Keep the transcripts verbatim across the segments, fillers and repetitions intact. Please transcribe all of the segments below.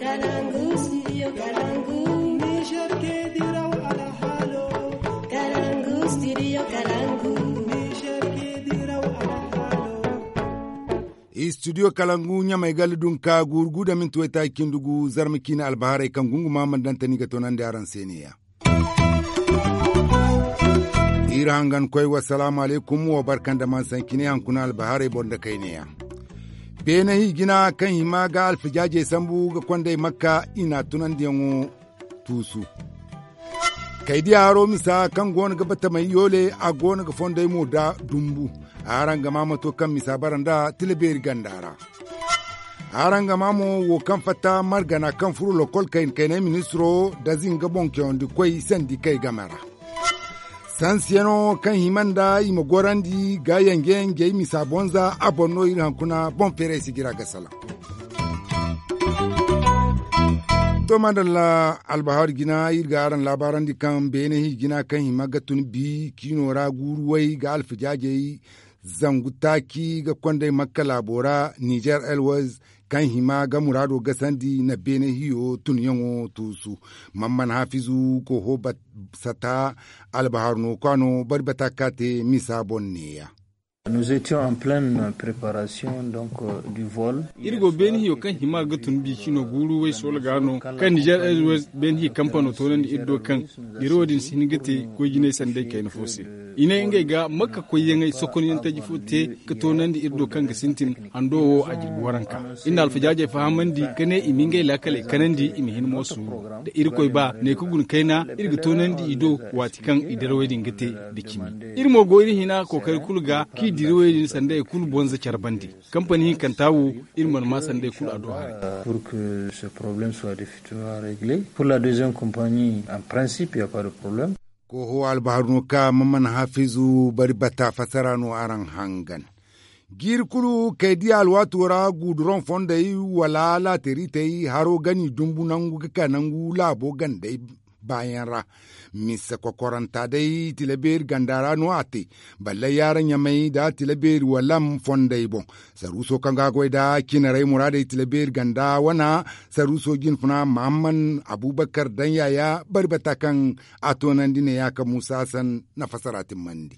Kalangu, studio Kalangu. Niger ke diraw alhalo. Kalangu, studio Kalangu. Niger ke diraw alhalo. Studio Kalangu ɲamay gala dunka guuru gu da minti waytaaci cindi gu zarma ciine albaharay kaŋ gunguma mana daŋ tani ga toonandi araŋ se ne-ya. Iri hangan koy wa salaamu alaykum wa barka nda man sanci ne haŋ kuna albaharay boro nda kayne yaŋ. Beene hi jina kaŋ hima ga alfijaajey sambu ga kondey makka i n'a tunandiyaŋo tuusu. Kay diya haro misa kaŋ go no ga batamay yoole a go no ga fondey mo da dumbu. Araŋ ga maa mato kaŋ misa bara nda tila beeri ganda ra. Araŋ ga maa mo wo kaŋ fatta margana kaŋ furo lokol kayna kaynay ministiro da zinga boŋ cawandi koy sandi kay game ra. Sansiyano kaŋ hima nda i ma gorandi ga yanje-yanjey misa bonza a boŋ no iri hankuna boŋ feeray si jira ga salaŋ. To madalla, albahar jina iri ga araŋ laabaarandi kaŋ beene hi jina kaŋ hima ga tun bi ciino ra guuru way ga alfijaajey zangu taaci ga kondey makka laabo ra nizer elwaz kaŋ hima ga muraado gasandi na beene hiyo tunyaŋo tuusu. Mamman hafizu koho sata albahar no kwaano bari bata ka te misa boŋ neeya. Nous étions en pleine préparation donc du vol. Iri go beene hiyo kaŋ hima ga tun bi cino guuru way soola ga no kaŋ nizer elwaz beene hiyo kampano toonandi iri do kaŋ dirawo din si hin ga te goy jinay sanday kayna fo se. I ne ngey ga makka koyyaŋey sokonyaŋ taji fo te ga toonandi iri do kaŋ ga sintin hando wo a jirbi waranka. Iri na alfajaajey fahamandi ka ne i ma ngey laakaley kanandi i ma hin mo suuru da irkoy ba ne ka guna kayna iri ga toonandi i do waati kaŋ i dirawey din ga te da cimi. Iri mo go iri hina kookari kulu ga kaŋ i dirawey din sanda i kulu bonza care bandi. Kampani hinkanta wo iri mana maa sanda i kulu a do haray. Pour que ce problème soit définitivement réglé pour la deuxième compagnie en principe il n'y a pas de problème. Koho albaharu no ka mamman hafizu bari bata fassara no araŋ hangan. Jiiri kulu kay diya alwaato ra guuduroŋ fondey wala laateritey haro gani dumbu nangu ga ka nangu laabo gandey baayaŋ ra. Mise kokoranta day tilabeeri ganda ra no a te. Ballay yaara ɲamay nda tilabeeri walam fondey boŋ. Saruuso kaŋ ga a goy nda cinarey muraadey tilabeeri ganda wana saruuso jinfuna mahamman abubakar daŋ yaaya bari bata kaŋ a toonandi ne ya ka muusa hasan na fassara timmandi.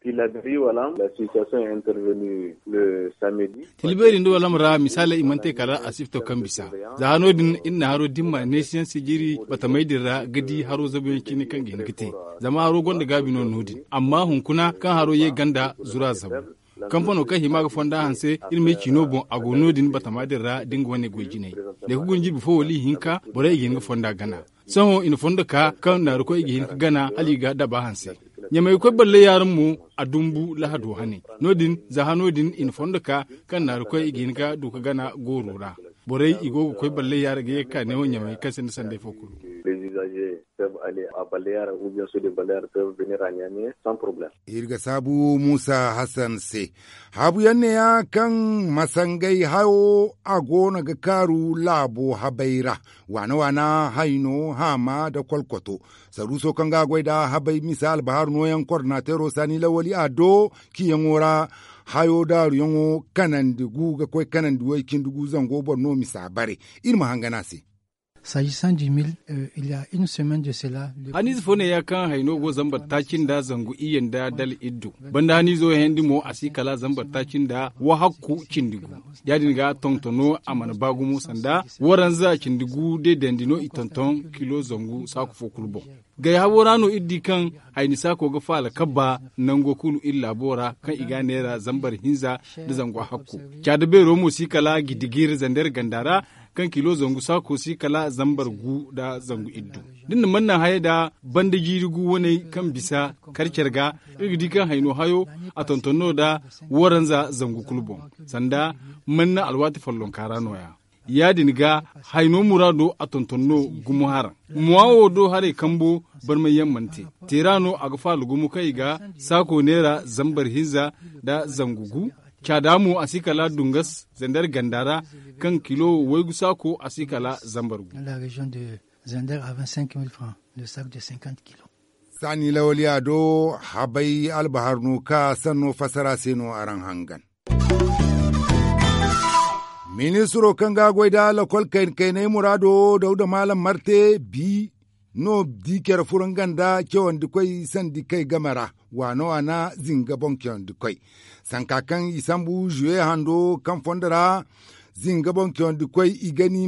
Tilaberi wala la situation est intervenue le samedi. Tilaberi nda wala mara misaaley i mana te kala asifto kaŋ bisa. Za hano din iri na haro dimma neesiyaŋ sijiri batamey din ra ga di haro zabuyaŋ cine kaŋ ga hin ga te. Zama haro gonda gaabi no no din amma hunkuna kaŋ haro ye ganda zura zabu. Kampano kaŋ hima ga fonda hanse iri me ciino boŋ a go no din batama din ra da nga wane goy jinay. Ne ka guna jirbi fo wala ihinka borey i ga hin ga fonda gana. Sohõ i na fondo ka kaŋ naarukoy i ga hin ka gana hala i ga daba hanse. Ɲamay koy ballay yaaraŋ mo a dumbu lahado hane. No- din za hano din i na fondo ka kaŋ naarukoy i ga hin ka du ka gana gooro ra. Borey i go ga koy ballay yaara ga ye ga ka neewo ɲamay kaŋ sinda sanday fo kulu. Iri ga saabu muusa hasan se. Haabuyaŋ neeya kaŋ masangay hayo a go no ga kaaru laabo habay ra. Waana waana hayno haama nda kolkoto. Saruuso kaŋ ga a goy nda habay misa albahaaru nooyaŋ kordinateero saani lawali a do ciyaŋo ra. Hayo daaruyaŋo kanandi gu ga koy kanandi way cindi gu zango boŋ no misa bare. Iri ma hangan a se. S'agissant du mil, il y a une semaine de cela. Haniize fo ne ya kaŋ hayno go zambar taaci nda zangu iyye nda dala iddu. Banda haniizo heyandi mo a si kala zambar taaci nda wahakku cindi gu. Ya- din ga tontono a mana ba gumo sanda waranza cindi gu de dandi no i tonton kilo zangu saaku fo kulu boŋ. Gay habo ra no iri di kaŋ hayni saako ga faala kabba nango kulu iri laabo ra kaŋ i ga a neera zambar hinza nda zangu hakku. Caada beero mo si kala gidigir zander ganda ra kaŋ kilo zangu saako si kala zambar gu nda zangu iddu. Da ni na manna hayey da banda jiiri gu waney kaŋ bisa karcer ga iri ga di kaŋ hayno hayo a tonton no nda waranza zangu kulu boŋ. Sanda manna alwaati follonka ra nooya. Ya- din ga hayno muraado a tonton no gumo haraŋ. Mowa wo do haray kambo barmayyaŋ mana te. Teera no a ga faala gumo kaŋ i ga saako neera zambar hinza nda zangu gu. Caada mo a si kala dungas zander ganda ra kaŋ kilo waygu saako a si kala zambar gu. Saani lawaliya do habay albahar no ka sanno fassara se no araŋ hangan. Ministiro kaŋ ga a goy nda lokol kayna kaynay muraado dawda maalam marte bi no di care furo nga nda cawandi koy sandi kay game ra waano waana zinga boŋ cawandi koy sanka kaŋ i sambu zuwe hando kaŋ fondo ra zinga boŋ cawandi koy i ga ni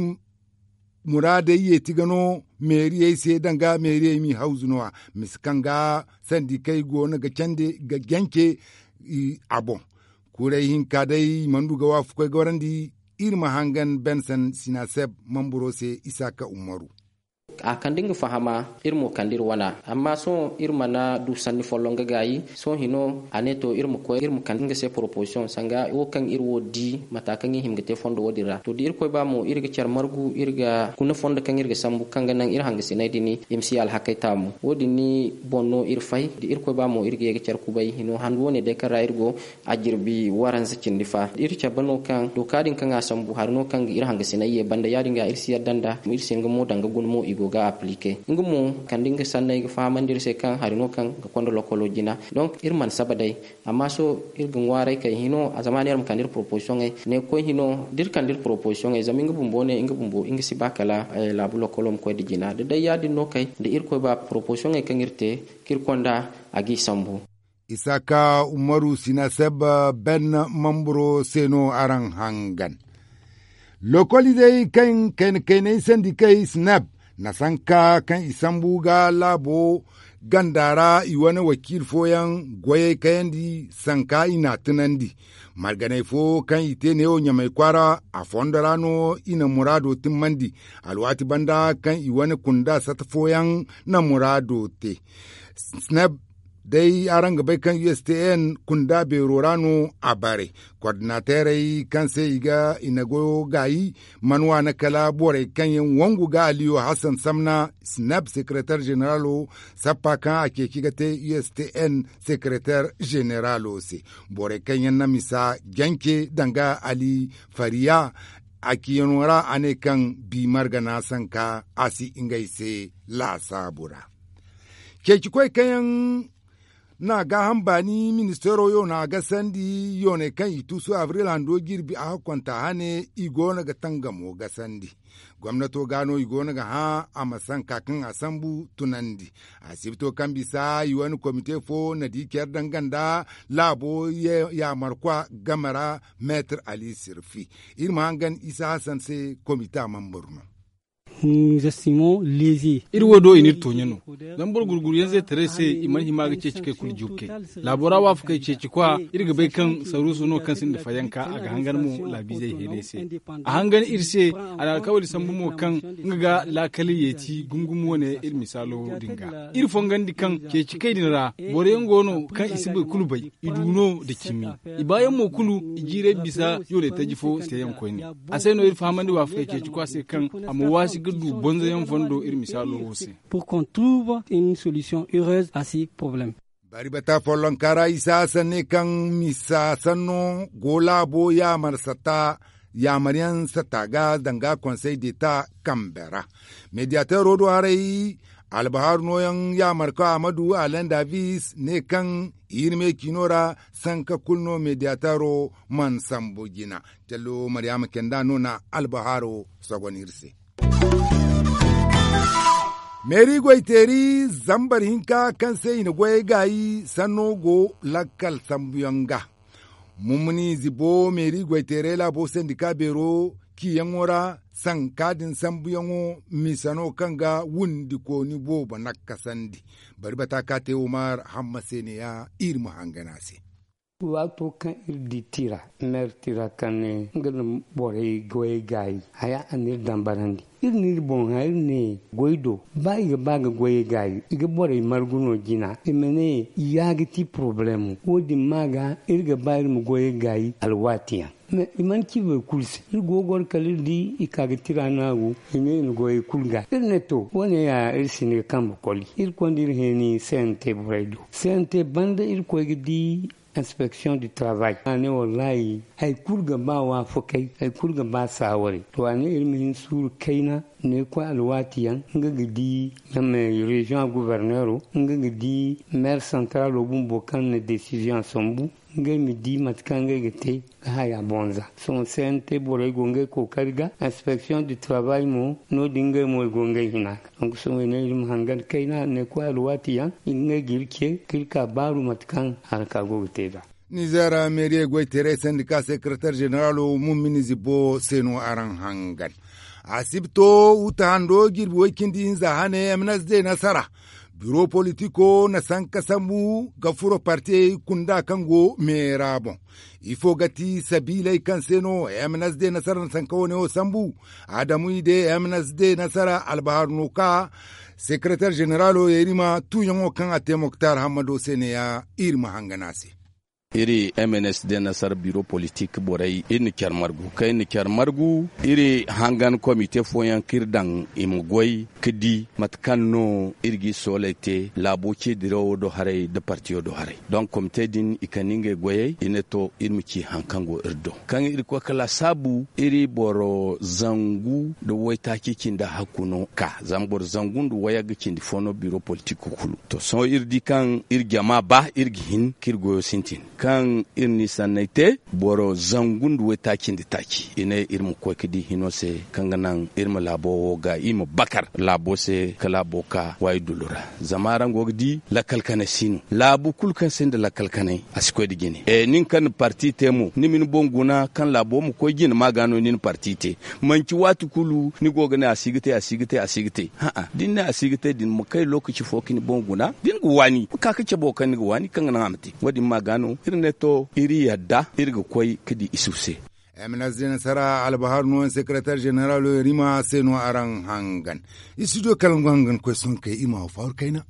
muraadey yeeti ga no meeriyey se danga meeriyey m'i hawzu no- ya misa kaŋ ga sandi kay go no ga candi ga jance a boŋ. Kuuray hinka day i mana du ga waafakoy gorandi iri ma hangan bensen sinaseb mamburo se isaaka ummaru. A kande nga fahama iri mo kande iri wana amma sohõ iri mana du sanni folloŋ ga gaayi sohõ hino a ne to iri ma koy iri ma kande nga se proposition sanga wo kaŋ iri wo di mata kaŋ i hima ga te fondo wo- din ra to da irkoy ba mo iri ga care margu iri ga kuna fondo kaŋ iri ga sambu kaŋ ga naŋ iri hangasinay din i ma si alhakey taamu wo- din boŋ no iri fay da irkoy ba mo iri ga ye ga care kubay hino handu wo- ne day kaŋ ra iri go a jirbi waranza cindi fa iri cabe no kaŋ dooka din kaŋ a sambu hari no kaŋ ga iri hangasinay ye banda ya- din ga iri si yadda nda iri si nga mo danga guna mo i go ga aplike nga mo kande nga sanney ga fahamandi iri se kaŋ hari no kaŋ ga konda lokolo jina. Donc iri mana saba day amma sohõ iri ga ŋwaaray kay hino a zama ne iri ma kande iri proposiyoney ne ga koy hino da iri kande iri proposiyoney zama nga bumbo ne nga bumbo nga si ba kala laabu lokolo ma koy nda jina da day ya- din no kay da irkoy ba proposiyoney kaŋ iri te kaŋ iri konda a g'i sambu. Isaaka umaru sinaseb ben mamburo se no araŋ hangan. Lokoli day kaŋ kayna kaynay sandi kay snap na sanka kaŋ i sambu ga laabo ganda ra i wane wakiil fooyaŋ goyey kayandi sanka i n'a tunandi. Marganey fo kaŋ i te neewo ɲamay kwaara a fondo ra no i na muraado timmandi. Alwaati banda kaŋ i wane kunda sata fooyaŋ na muraado te. Snap day araŋ ga bay kaŋ u s t n kunda beero ra no a bare. Kordinateerey kaŋ se i ga i na goyo gaayi mana waana kala borey kaŋ yaŋ wangu ga aliyo hassan samna snap sekereteer zeneralo sappa kaŋ a ceeci ga te u s t n sekereteer zeneralo se. Borey kaŋ yaŋ na misa jance danga ali fariya a ciyano ra a ne kaŋ bi margana sanka a si ngey se laasaabu ra. Ceeci koy kaŋ yaŋ na gaaham baani ministeero yoona gasandi yooney kaŋ i tuusu abril hando jirbi a hakkonta hane i goono ga tangamo gasandi. Gomnato ga no i goono ga hã a ma sanka kaŋ a sambu tunandi. Asibito kaŋ bisa i wane komite fo na di care danga nda laabo yaamarkwa game ra meetir ali sirfi. Iri ma hangan isa hasan se komita mambur no. Iri wo do i n'iri tooɲe no. Zama boro gurguru yaŋ zaytaray se i mana hima ga ceeci kay kulu juukey. Laabo ra waafakey ceeci kwa iri ga bay kaŋ saruusu no kaŋ sinda fayanka a ga hangan mo laabiizey heenay se. A hangan iri se a na alkawali sambu mo kaŋ nga ga laakali yeeti gumo gumo wane iri misaalo din ga iri fongandi kaŋ ceeci kay din ra boro yaŋ go no kaŋ i si boro kulu bay i du no nda cimi. I baayaŋ mo kulu i jiiray bisa yoonay taji fo teeyaŋ koyne. A se no iri fahamandi waafakey ceeci kwa se kaŋ a ma waasi ga du bonzoyaŋ fondo iri misaalo wo se. Pour qu'on trouve une solution heureuse à ces problèmes. Bari bata follonka ra isa sanne kaŋ misa sanno go laabo yaamar sata yaamaryaŋ sata ga danga konsey deta kambe ra. Mediyateero do haray albahaaru nooyaŋ yaamarka amadu alain davis ne kaŋ iri me ciino ra sanka kulu no mediyateero mana sambu jina. Callo maryaama kenda no na albahaaro sogon iri se. Meeri goyteeri zambar hinka kaŋ se i na goyey gaayi sanno go lakkal sambuyaŋ ga. Mummuni zibo meeri goyteerey laabo sendika beero ciyaŋo ra sanka din sambuyaŋo misa no kaŋ ga wundikooni boobo nakkasandi. Bari bata ka te umar hamma se ne ya iri ma hangan a se. Waato kaŋ iri di tira meeri tira kaŋ ne nga na borey goyey gaayi haya a n'iri dambarandi. Iri n'iri boŋ hã iri ne goy do ba i ga ba ga goyey gaayi i ga borey margu no jina i ma ne ya ga ti porobalemo wo- din ma ga iri ga ba iri ma goyey gaayi alwaati yaŋ. Mais i mana ci boro kulu se iri go ga goro kala iri di i ka ga tira naagu i ne i na goyey kulu gaayi iri ne to wo- ne ya iri si ne ga kambe koli iri konda iri heeni c n t borey do c n t banda iri koy ga di inspeksiyoŋ du travay a ne wallaahi hari kulu ga ba waafakey hari kulu ga ba saawarey to a ne iri ma hin suuru kayna. Ne koy alwaati yaŋ nga ga di ɲamay reziyoŋ a guberneero nga ga di meer santaralo bumbo kaŋ na desiziyoŋ a sambu. Ngey ma di mate kaŋ ngey ga te ga haya bonza. Sohõ se yaŋ te borey go ngey kookari ga inspeksiyoŋ du tarabay mo no- din ngey mo i go ngey hina ga. Donk sohõ i ne iri ma hangan kayna ne koy alwaati yaŋ ngey ga iri ce ka iri ka baaru mate kaŋ haraka go ga te nd'a. Nizeer meeriye goyteerey sendika sekarateer zeneralo mummini zibbo se no araŋ hangan. Asibto wuta hando jirbi way-cindi hinza hane m n s d nasara biro politiko na sanka sambu ga furo partiyey kunda kaŋ go meera boŋ. Ifo ga ti sabiiley kaŋ se no m n s d nasara na sanka wane wo sambu? Adamu i de m n s d nasara albahar no ka sekarateer zeneralo yeerima tuuyaŋo kaŋ a te moktar hammado se ne ya iri ma hangan a se. Iri m n s d nasar biro politik borey iri na care margu kaŋ iri na care margu iri hangan komite fooyaŋ kaŋ iri daŋ i ma goy ka di mate kaŋ no iri ga i sooley te laabo ce dirawo do haray nda partiyo do haray. Donk komite din i kande ngey goyey i ne to iri ma ci hari kaŋ go iri do kaŋ iri koy ka laasaabu iri boro zangu nda waytaaci cindi hakku no ka zama boro zangu nda wayagga cindi fo no biro politik kulu. To sohõ iri di kaŋ iri jama ba iri ga hin kaŋ iri goyo sintin kaŋ iri n'i sanney te boro zangu nda waytaaci nda taaci i ne iri ma koy ga di hino se kaŋ ga naŋ iri ma laabo wo ga i ma bakar laabo se ka laabo ka waayi dullu ra. Zama araŋ go ga di lakkal kanay si no laabu kulu kaŋ sinda lakkal kanay a si koy nda jine. Nin kaŋ na parti te mo ni ma ni boŋ guna kaŋ laabo ma koy jine ma ga no ni na parti te. Manci waati kulu ni go ga ne a si ga te a si ga te a si ga te. Hã'a da ni ne a si ga te din ma kay lookaci fo ka ni boŋ guna da ni ga waani ma ka ga cabo kaŋ ni ga waani kaŋ ga naŋ a ma te. Wo- din ma ga no iri ne to iri yadda iri ga koy ga di isufu se. M n s d nasara albahar no yaŋ sekarateer zeneralo yaŋ rima se no araŋ hangan. Istidiyo kalangu hangan koy sohõ kay iri ma haw faawar kayna.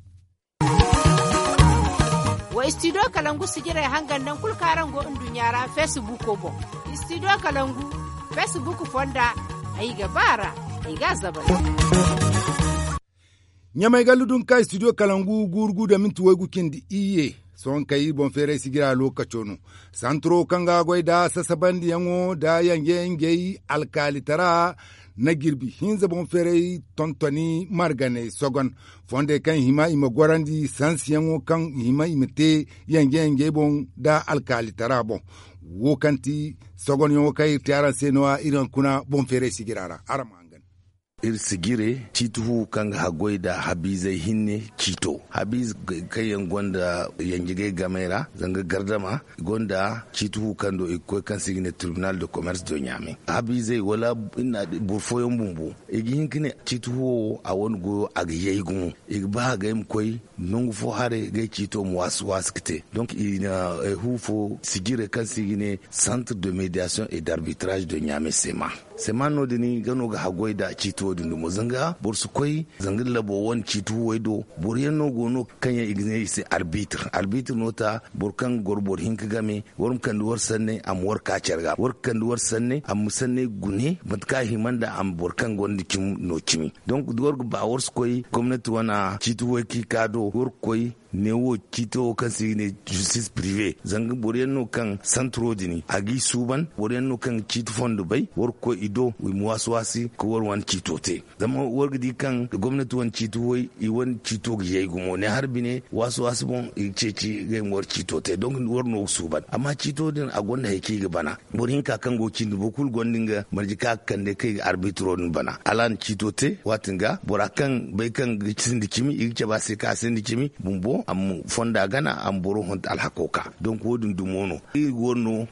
Wa istidiyo kalangu sijirey hangan naŋ kulu kaŋ araŋ go nduɲɲa ra feesibuko boŋ. Istidiyo kalangu feesibuku fonda ay ga ba a ra ay ga a zabari. Ɲamay gallu dunka istidiyo kalangu guuru gu da minti waygu cindi iyye. Sohõ kay iri boŋ feeray sijira lookaco no. Santuro kaŋ ga goy nda sasabandiyaŋo nda yanje-yanjey alkaalitara na jirbi hinza boŋ feeray tontoni marganey sogon fondey kaŋ i hima i ma gorandi sansiyaŋo kaŋ i hima i ma te yanje-yanjey boŋ nda alkaalitara boŋ. Wo kaŋ ti sogonyaŋo kaŋ iri te araŋ se no- ya iri hunkuna boŋ feeray sijira ra araŋ ma hangan. Iri sijire ciiti fu kaŋ ga haggoy nda habiizey hinne ciito habiize kaŋ yaŋ gonda yanjigay gamey ra zanga gardama i gonda ciiti fu kaŋ do i ga koy kaŋ se i ga ne tribunal de commerce de ɲame. Habiizey wala boro fooyaŋ bumbo i ga hin ka ne ciiti fu wo a wane goyo a ga yay gumo i ga ba ga ay ma koy nangu fo haray ga ay ciito ma waasi waasi ga te. Donk i na fu fo sijire kaŋ se i ga ne centre de médiation et d'arbitrage de ɲame sema. Sema no- din ga no ga haggoy nda ciiti wo- din dumo zanga boro si koy zanga labo wane ciiti fuwey do. Boro yaŋ no go no kaŋ yaŋ i ga ne i se arbitre arbitre no ta boro kaŋ ga goro boro hinka game war ma kande war sanney a ma war ka care ga war ga kande war sanney a ma sanney gune mate kaŋ a hima nda a ma boro kaŋ gonda cimi no cimi. Donk war ga ba war si koy gomnati wane ciiti fuwey kaŋ i ka do war ga koy neewo ciito wo kaŋ se i ga ne justice prive zanga boro yaŋ no kaŋ santro din a g'i suuban boro yaŋ no kaŋ ga ciiti fondo bay war ga koy i do i ma waasi waasi ka war wane ciito te. Zama war ga di kaŋ gomnati wane ciiti way i wane ciito ga yay gumo ne har bine waasi waasi boŋ i ga ceeci ga ay ma war ciito te donk war no ga suuban amma ciito din a gonda hari kaŋ i ga bana. Boro hinka kaŋ go ga cindi boro kulu gonda nga marje kaŋ a ga kande kaŋ i ga arbitiro din bana hala a na ciito te waati nga bora kaŋ bay kaŋ ga sinda cimi i ga cabe a se kaŋ a sinda cimi bumbo a ma fonda gana a ma boro honto alhako ka. Donk wo- din dumo no iri ga war no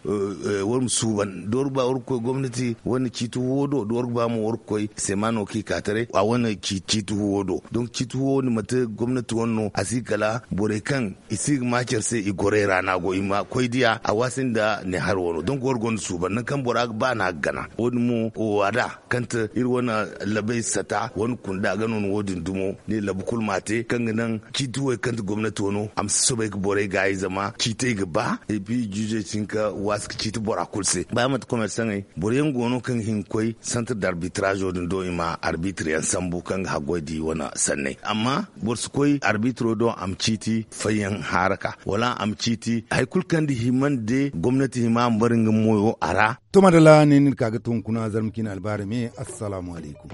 war ma suuban da war ga ba war ga koy gomnati wane ciiti huwo do da war ga ba mo war ga koy sema no kaŋ i ka taray a wane ciiti huwo do. Donk ciiti huwo din manti gomnati wane no a si kala borey kaŋ i si ga ma care se i gorey ra no a go i ma koy diya a waasi nda ne hari wano donk war gonda suuban nangu kaŋ bora ga ba no a ga gana wo- din mo wo a da kaŋ ti iri wane labey sata wane kunda ga no ni wo- din dumo ne labu kulu ma a te kaŋ ga naŋ ciiti wey kaŋ ti gomnati wano a ma si soobay ga borey gaayi zama ciitey ga ba epi juuzey si hin ka waasi ga ciiti bora kulu se ba manti komersaŋey boro yaŋ go no kaŋ ga hin ga koy santir d'arbitirazo din do i ma arbitire yaŋ sambu kaŋ ga haggoy da i wane sanney amma boro si koy arbitiro do a ma ciiti fayyaŋ haaraka wala a ma ciiti hari kulu kaŋ da hima nda day gomnati hima a ma bare nga moyo a ra. To madalla ne no iri ka ga to hunkuna zarma ciine albaari me. Assalaamu alaykum.